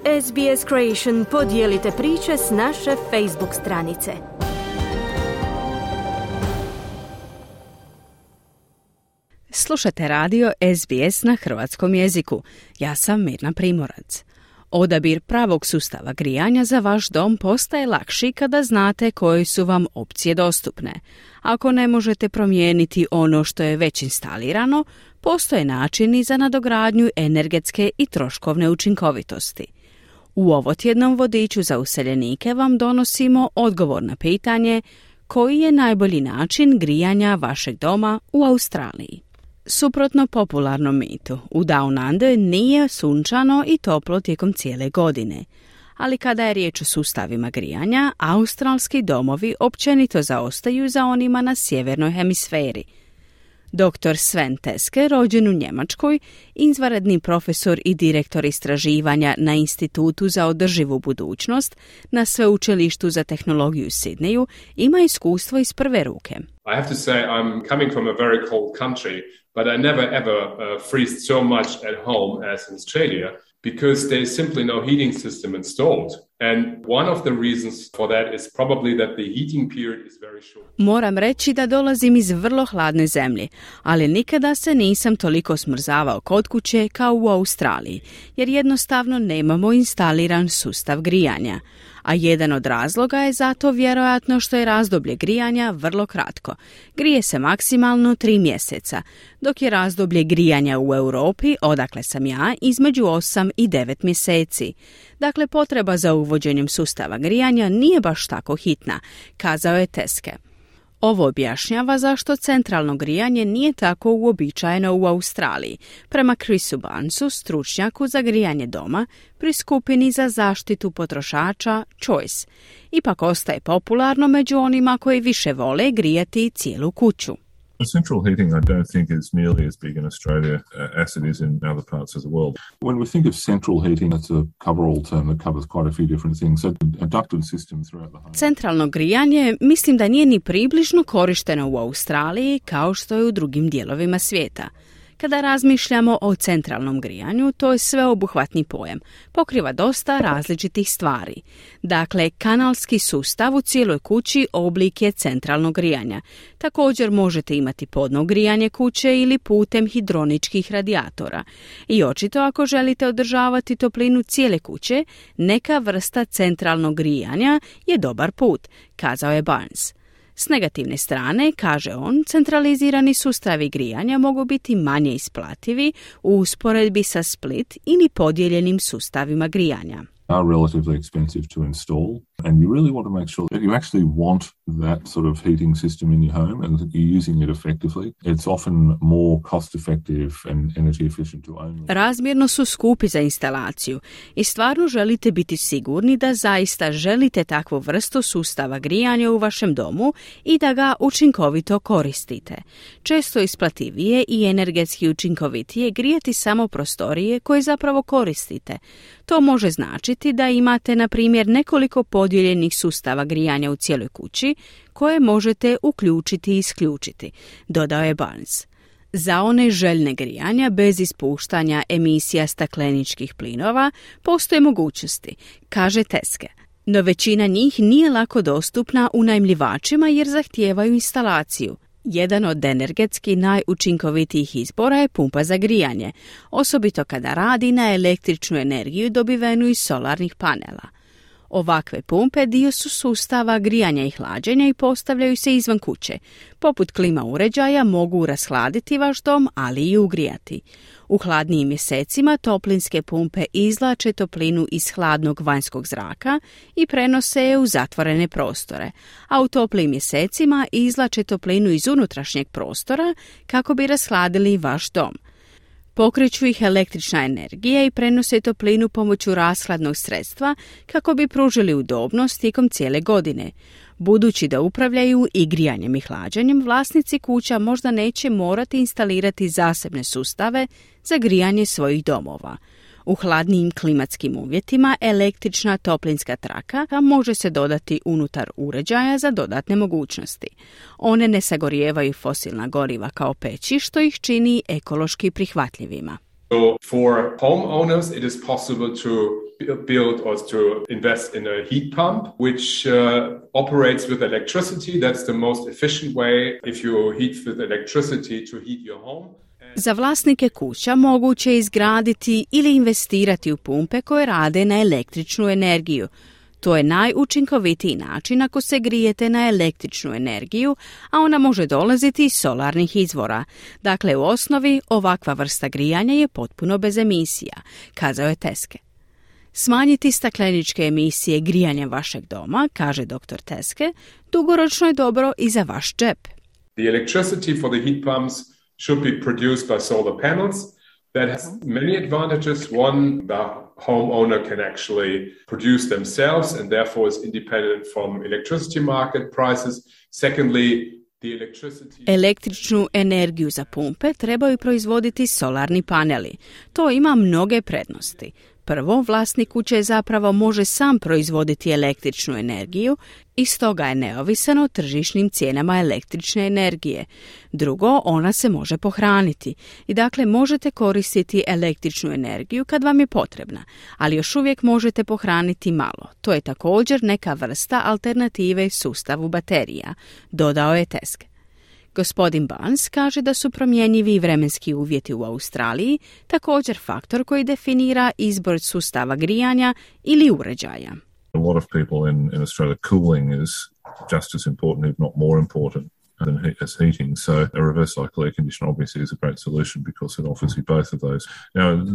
SBS Creation podijelite priče s naše Facebook stranice. Slušate radio SBS na hrvatskom jeziku. Ja sam Mirna Primorac. Odabir pravog sustava grijanja za vaš dom postaje lakši kada znate koje su vam opcije dostupne. Ako ne možete promijeniti ono što je već instalirano, postoje načini za nadogradnju energetske i troškovne učinkovitosti. U ovotjednom vodiču za useljenike vam donosimo odgovor na pitanje koji je najbolji način grijanja vašeg doma u Australiji. Suprotno popularnom mitu, u Down Under nije sunčano i toplo tijekom cijele godine. Ali kada je riječ o sustavima grijanja, australski domovi općenito zaostaju za onima na sjevernoj hemisferi. Dr. Sven Teske, rođen u Njemačkoj, izvanredni profesor i direktor istraživanja na Institutu za održivu budućnost na Sveučilištu za tehnologiju u Sidneju, ima iskustvo iz prve ruke. I have to say I'm coming from a very cold country, but I never ever freeze so much at home as in Australia because there is simply no heating system installed. And one of the reasons for that is probably that the heating period is very short. Moram reći da dolazim iz vrlo hladne zemlje, ali nikada se nisam toliko smrzavao kod kuće kao u Australiji, jer jednostavno nemamo instaliran sustav grijanja. A jedan od razloga je zato vjerojatno što je razdoblje grijanja vrlo kratko. Grije se maksimalno 3 mjeseca, dok je razdoblje grijanja u Europi, odakle sam ja, između 8 i 9 mjeseci. Dakle, potreba za uvođenjem sustava grijanja nije baš tako hitna, kazao je Teske. Ovo objašnjava zašto centralno grijanje nije tako uobičajeno u Australiji, prema Chrisu Barnesu, stručnjaku za grijanje doma pri skupini za zaštitu potrošača Choice. Ipak ostaje popularno među onima koji više vole grijati cijelu kuću. Central heating, I don't think is nearly as big in Australia as it is in other parts of the world. When we think of central heating, it's a cover-all term that covers quite a few different things. So a ducted system throughout the home. Centralno grijanje mislim da nije ni približno korišteno u Australiji kao što je u drugim dijelovima svijeta. Kada razmišljamo o centralnom grijanju, to je sveobuhvatni pojam. Pokriva dosta različitih stvari. Dakle, kanalski sustav u cijeloj kući oblik je centralnog grijanja. Također možete imati podno grijanje kuće ili putem hidroničkih radijatora. I očito ako želite održavati toplinu cijele kuće, neka vrsta centralnog grijanja je dobar put, kazao je Barnes. S negativne strane, kaže on, centralizirani sustavi grijanja mogu biti manje isplativi u usporedbi sa split ili podijeljenim sustavima grijanja. Are relatively expensive to install, and you really want to make sure that you actually want that sort of heating system in your home and that you're using it effectively. It's often more cost effective and energy efficient to own. Razmjerno su skupi za instalaciju i stvarno želite biti sigurni da zaista želite takvu vrstu sustava grijanja u vašem domu i da ga učinkovito koristite. Često isplativije i energetski učinkovitije grijati samo prostorije koje zapravo koristite. To može značiti da imate, na primjer, nekoliko podijeljenih sustava grijanja u cijeloj kući koje možete uključiti i isključiti, dodao je Barnes. Za one željne grijanja bez ispuštanja emisija stakleničkih plinova postoje mogućnosti, kaže Teske. No većina njih nije lako dostupna unajmljivačima jer zahtijevaju instalaciju. Jedan od energetski najučinkovitijih izbora je pumpa za grijanje, osobito kada radi na električnu energiju dobivenu iz solarnih panela. Ovakve pumpe dio su sustava grijanja i hlađenja i postavljaju se izvan kuće. Poput klima uređaja mogu rashladiti vaš dom, ali i ugrijati. U hladnijim mjesecima toplinske pumpe izvlače toplinu iz hladnog vanjskog zraka i prenose je u zatvorene prostore, a u toplijim mjesecima izvlače toplinu iz unutrašnjeg prostora kako bi rashladili vaš dom. Pokreću ih električna energija i prenose toplinu pomoću rashladnog sredstva kako bi pružili udobnost tijekom cijele godine. Budući da upravljaju i grijanjem i hlađenjem, vlasnici kuća možda neće morati instalirati zasebne sustave za grijanje svojih domova. U hladnijim klimatskim uvjetima električna toplinska traka može se dodati unutar uređaja za dodatne mogućnosti. One ne sagorijevaju fosilna goriva kao peći, što ih čini ekološki prihvatljivima. So for homeowners it is possible to build or to invest in a heat pump, which operates with electricity. That's the most efficient way if you heat with electricity to heat your home. Za vlasnike kuća moguće je izgraditi ili investirati u pumpe koje rade na električnu energiju. To je najučinkovitiji način ako se grijete na električnu energiju, a ona može dolaziti iz solarnih izvora. Dakle, u osnovi ovakva vrsta grijanja je potpuno bez emisija, kazao je Teske. Smanjiti stakleničke emisije grijanjem vašeg doma, kaže dr. Teske, dugoročno je dobro i za vaš džep. The electricity for the heat pumps should be produced by solar panels. That has many advantages. One, the homeowner can actually produce themselves and therefore is independent from electricity market prices. Secondly, električnu energiju za pumpe trebaju proizvoditi solarni paneli. To ima mnoge prednosti. Prvo, vlasnik kuće zapravo može sam proizvoditi električnu energiju i stoga je neovisan o tržišnim cijenama električne energije. Drugo, ona se može pohraniti i dakle možete koristiti električnu energiju kad vam je potrebna, ali još uvijek možete pohraniti malo. To je također neka vrsta alternative sustavu baterija, dodao je Teske. Gospodin Barnes kaže da su promjenjivi vremenski uvjeti u Australiji također faktor koji definira izbor sustava grijanja ili uređaja. A lot of people in Australia, cooling is just as important, if not more important, as heating. So a reverse cycle air conditioner obviously is a great solution because it offers you both of those. Now,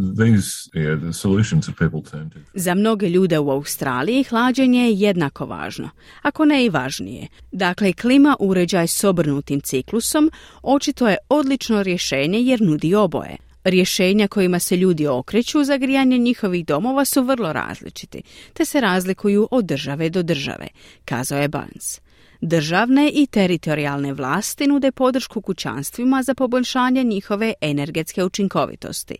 the solutions that people turn to. Za mnoge ljude u Australiji hlađenje je jednako važno, ako ne i važnije. Dakle, klima uređaj s obrnutim ciklusom očito je odlično rješenje jer nudi oboje. Rješenja kojima se ljudi okreću za grijanje njihovih domova su vrlo različiti, te se razlikuju od države do države, kazao je Barnes. Državne i teritorijalne vlasti nude podršku kućanstvima za poboljšanje njihove energetske učinkovitosti.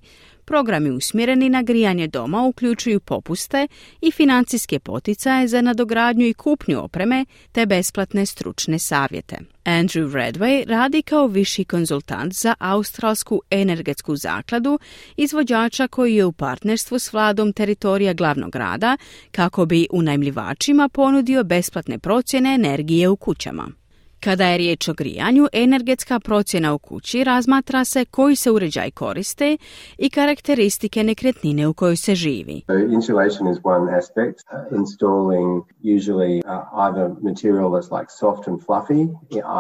Programi usmjereni na grijanje doma uključuju popuste i financijske poticaje za nadogradnju i kupnju opreme te besplatne stručne savjete. Andrew Redway radi kao viši konzultant za Australsku energetsku zakladu, izvođača koji je u partnerstvu s vladom teritorija glavnog grada kako bi unajmljivačima ponudio besplatne procjene energije u kućama. Kada je riječ o grijanju, energetska procjena u kući razmatra se koji se uređaj koriste i karakteristike nekretnine u kojoj se živi. Insulation is one aspect. Installing usually either material that's like soft and fluffy,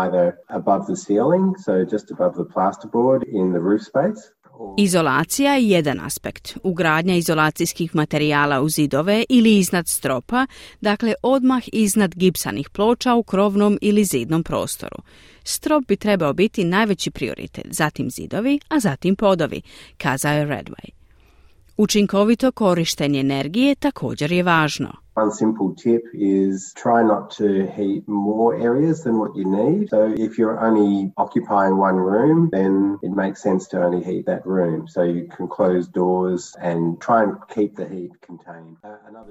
either above the ceiling, so just above the plasterboard in the roof space. Izolacija je jedan aspekt. Ugradnja izolacijskih materijala u zidove ili iznad stropa, dakle odmah iznad gipsanih ploča u krovnom ili zidnom prostoru. Strop bi trebao biti najveći prioritet, zatim zidovi, a zatim podovi, kazao je Redway. Učinkovito korištenje energije također je važno. One simple tip is try not to heat more areas than what you need. So if you're only occupying one room, then it makes sense to only heat that room. So you can close doors and try and keep the heat contained.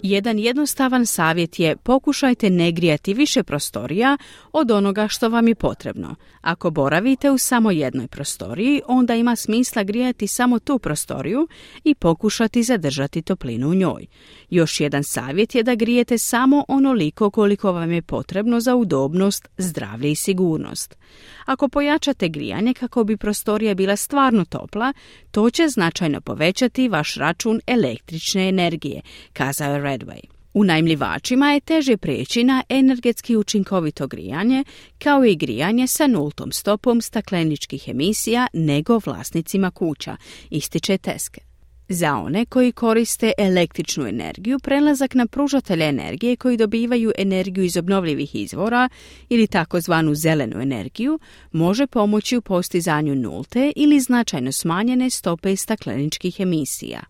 Jedan jednostavan savjet je pokušajte ne grijati više prostorija od onoga što vam je potrebno. Ako boravite u samo jednoj prostoriji, onda ima smisla grijati samo tu prostoriju i pokušati zadržati toplinu u njoj. Još jedan savjet je da grijete samo onoliko koliko vam je potrebno za udobnost, zdravlje i sigurnost. Ako pojačate grijanje kako bi prostorija bila stvarno topla, to će značajno povećati vaš račun električne energije, kazao je Redway. Unajmljivačima je teže prijeći na energetski učinkovito grijanje, kao i grijanje sa nultom stopom stakleničkih emisija nego vlasnicima kuća, ističe Teske. Za one koji koriste električnu energiju, prelazak na pružatelje energije koji dobivaju energiju iz obnovljivih izvora ili takozvanu zelenu energiju može pomoći u postizanju nulte ili značajno smanjene stope stakleničkih emisija.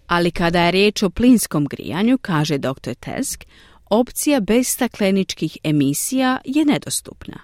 Ali kada je riječ o plinskom grijanju, kaže dr. Tesk, opcija bez stakleničkih emisija je nedostupna.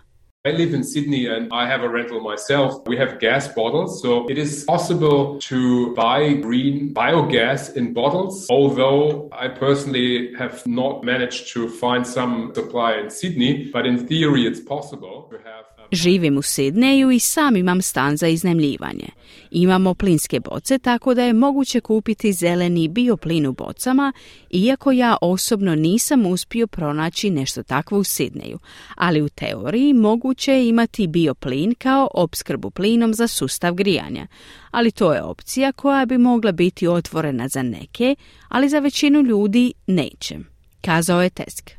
I live in Sydney and I have a rental myself. We have gas bottles, so it is possible to buy green biogas in bottles, although I personally have not managed to find some supply in Sydney, but in theory it's possible to have Živim u Sidneju i sam imam stan za iznajmljivanje. Imamo plinske boce, tako da je moguće kupiti zeleni bioplin u bocama, iako ja osobno nisam uspio pronaći nešto takvo u Sidneju, ali u teoriji moguće je imati bioplin kao opskrbu plinom za sustav grijanja. Ali to je opcija koja bi mogla biti otvorena za neke, ali za većinu ljudi neće, kazao je Tesk.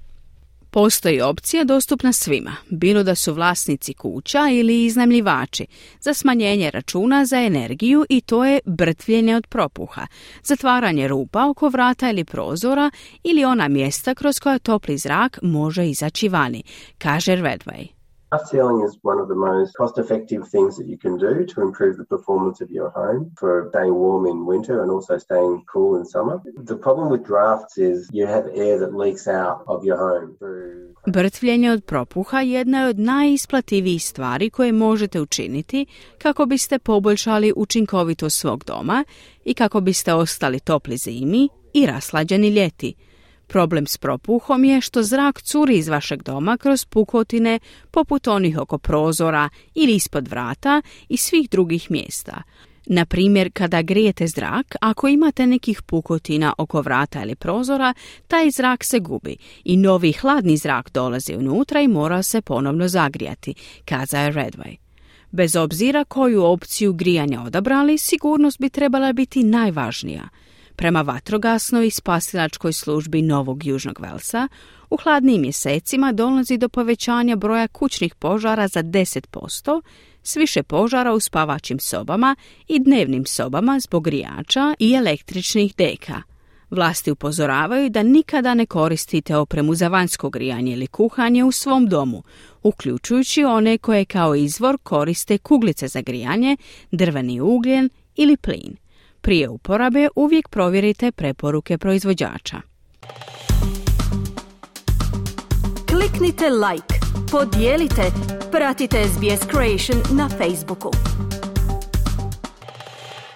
Postoji opcija dostupna svima, bilo da su vlasnici kuća ili iznajmljivači, za smanjenje računa za energiju i to je brtvljenje od propuha, zatvaranje rupa oko vrata ili prozora ili ona mjesta kroz koja topli zrak može izaći vani, kaže Redway. Glass ceiling is one of the most cost-effective things that you can do to improve the performance of your home for staying warm in winter and also staying cool in summer. The problem with drafts is you have air that leaks out of your home through... Brtvljenje od propuha jedna je od najisplativijih stvari koje možete učiniti kako biste poboljšali učinkovitost svog doma i kako biste ostali topli zimi i raslađeni ljeti. Problem s propuhom je što zrak curi iz vašeg doma kroz pukotine poput onih oko prozora ili ispod vrata i svih drugih mjesta. Na primjer, kada grijete zrak, ako imate nekih pukotina oko vrata ili prozora, taj zrak se gubi i novi hladni zrak dolazi unutra i mora se ponovno zagrijati, kazao je Redway. Bez obzira koju opciju grijanja odabrali, sigurnost bi trebala biti najvažnija. Prema vatrogasnoj i spasilačkoj službi Novog Južnog Velsa, u hladnijim mjesecima dolazi do povećanja broja kućnih požara za 10%, s više požara u spavačim sobama i dnevnim sobama zbog grijača i električnih deka. Vlasti upozoravaju da nikada ne koristite opremu za vanjsko grijanje ili kuhanje u svom domu, uključujući one koje kao izvor koriste kuglice za grijanje, drveni ugljen ili plin. Prije uporabe uvijek provjerite preporuke proizvođača. Kliknite like, podijelite, pratite SBS Creation na Facebooku.